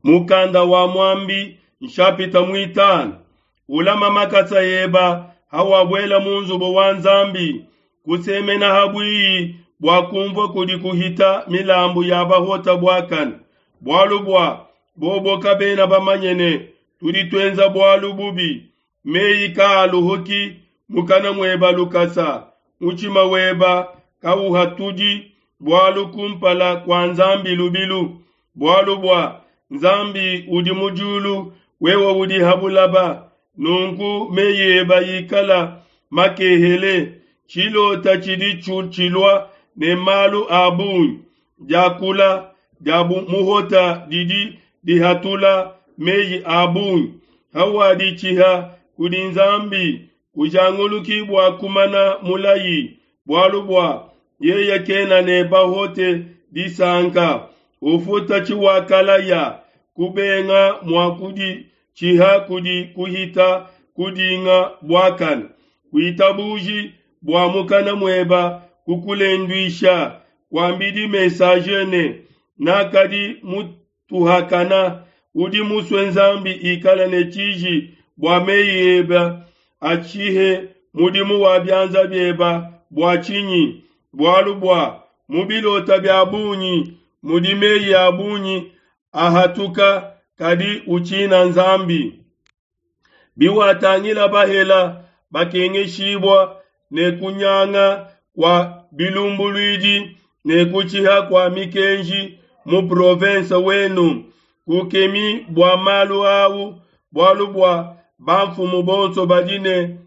Mukanda wa Muambi nshapita muitanu ulama makasa eba hawabuela mu nzubu wa Nzambi kusemena habwiyi bua kumvua kudi kuhita milambu ya bahota buakane bualu bua bobo kabena bamanye ne tudi tuenza bualu bubi meyi kaaluhuki mukana mueba lukasa mutshima weba kauhatudi bualu kumpala kua Nzambi lubilu bualu bua Nzambi udi mu diulu wewe udi ha bulaba nunku meyi eba ikala makehele tshilota tshidi tshilua ne malu a bungi diakula dia muhota didi dihatula meyi a bungi hawaditshiha kudi Nzambi kujanguluki bua kumana mulayi bualu bua yeye kena ne bahote disanka ufuta tshiwakalaya kubenga mua kuditshiha kudi kuhita kudinga buakane kuitabuji bua mukana mueba kukulenduisha kuambidi messager ne nakadi mutuhakana udi musue Nzambi ikala ne tshiji bua meyi eba atshihe mudimu wa bianza bieba bua tshinyi bualu bua mu bilota bia bungi mudi meyi a bungi ahatuka kadi utshina Nzambi. Biwatangila bahela bakengeshibua ne kunyanga kua bilumbuluidi ne kutshiha kua mikenji mu province wenu kukemi bua malu au bualu bua bamfumu bonso badi ne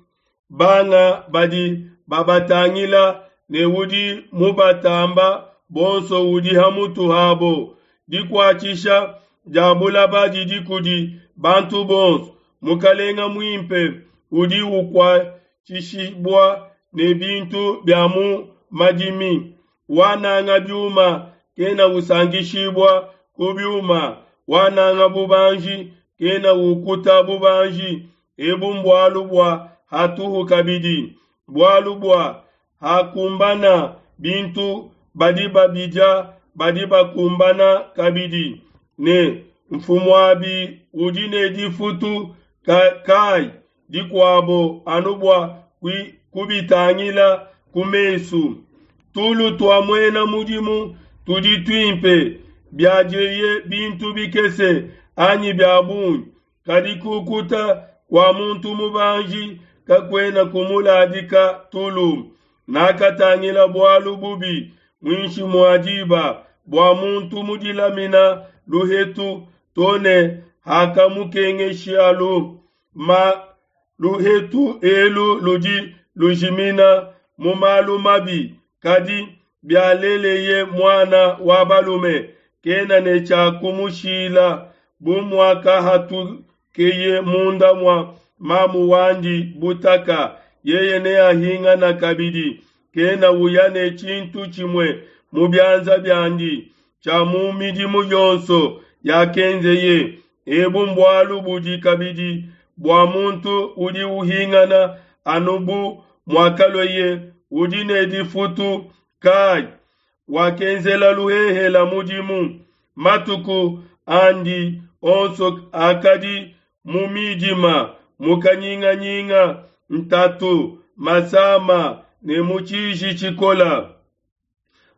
banga badi babatangila ne udi mubatamba bonso udi ha mutu habo dikuatshisha dia bulaba didi kudi bantu bonso mukalenga muimpe udi ukuatshishibua ne bintu bia mu madimi wananga biuma kena usankishibua ku biuma wananga bubanji kena ukuta bubanji ebu mbualu bua hatuhu kabidi bualu bua hakumbana bintu badi babidia badi bakumbana kabidi ne mfumuabi udi ne difutu kai dikuabo anu bua kubitangila ku mesu tulu tua muena mudimu tudi tuimpe biadieye bintu bikese anyi bia bungi kadi kukuta kua muntu mubanji kakuena kumuladika tulu nakatangila bualu bubi muinshi mua diba bua muntu mudilamina luhetu to ne hakamukengeshalu ma luhetu elu ludi lujimina mu malu mabi kadi bialeleye muana wa balume kena ne tshia kumushila bu muakahatukeye munda mua mamu wandi butaka yeye neahingana kabidi kena uya ne tshintu tshimue mu bianza biandi tshia mu midimu yonso yakenzeye ebu mbualu budi kabidi bua muntu udi uhingana anu bu muakalueye udi ne difutu kai wakenzela luhehela mudimu matuku andi onso akadi mu midima mu kanyinganyinga ntatu masama ne mu tshiji tshikola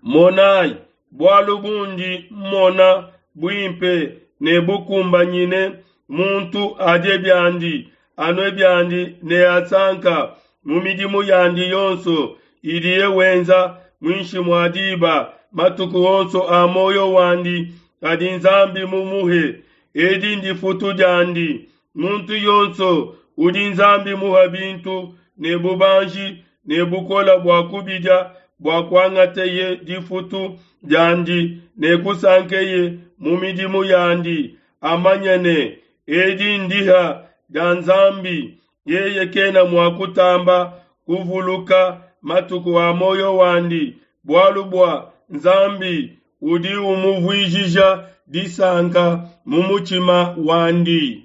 monayi bualu bundi mmona buimpe ne bukumbanyine muntu adie biandi anue biandi ne asanka mu midimu yandi yonso idiye wenza muinshi mua diba matuku onso a muoyo wandi kadi Nzambi mumuhe edi ndifutu diandi muntu yonso udi Nzambi muha bintu ne bubanji ne bukola bua kubidia bua kuangateye difutu diandi ne kusankeye mu midimu yandi amanye ne edi ndiha dia Nzambi yeye kena mua kutamba kuvuluka matuku a muoyo wandi bualu bua Nzambi udi umuvuijija disanka mu mutshima wandi.